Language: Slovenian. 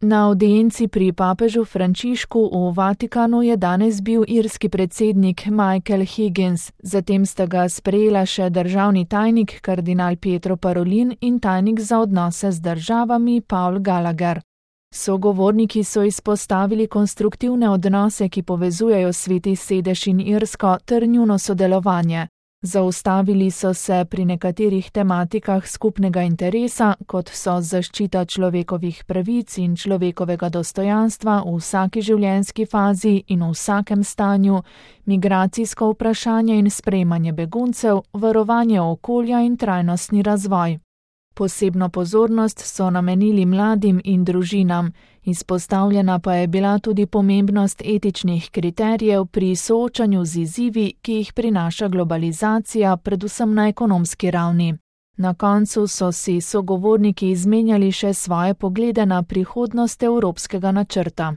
Na audienci pri papežu Frančišku v Vatikanu je danes bil irski predsednik Michael Higgins, zatem sta ga sprejela še državni tajnik kardinal Pietro Parolin in tajnik za odnose z državami Paul Gallagher. Sogovorniki so izpostavili konstruktivne odnose, ki povezujejo Sveti sedež in Irsko ter njuno sodelovanje. Zaustavili so se pri nekaterih tematikah skupnega interesa, kot so zaščita človekovih pravic in človekovega dostojanstva v vsaki življenjski fazi in v vsakem stanju, migracijsko vprašanje in sprejemanje beguncev, varovanje okolja in trajnostni razvoj. Posebno pozornost so namenili mladim in družinam, izpostavljena pa je bila tudi pomembnost etičnih kriterijev pri soočanju z izzivi, ki jih prinaša globalizacija, predvsem na ekonomski ravni. Na koncu so si sogovorniki izmenjali še svoje poglede na prihodnost evropskega načrta.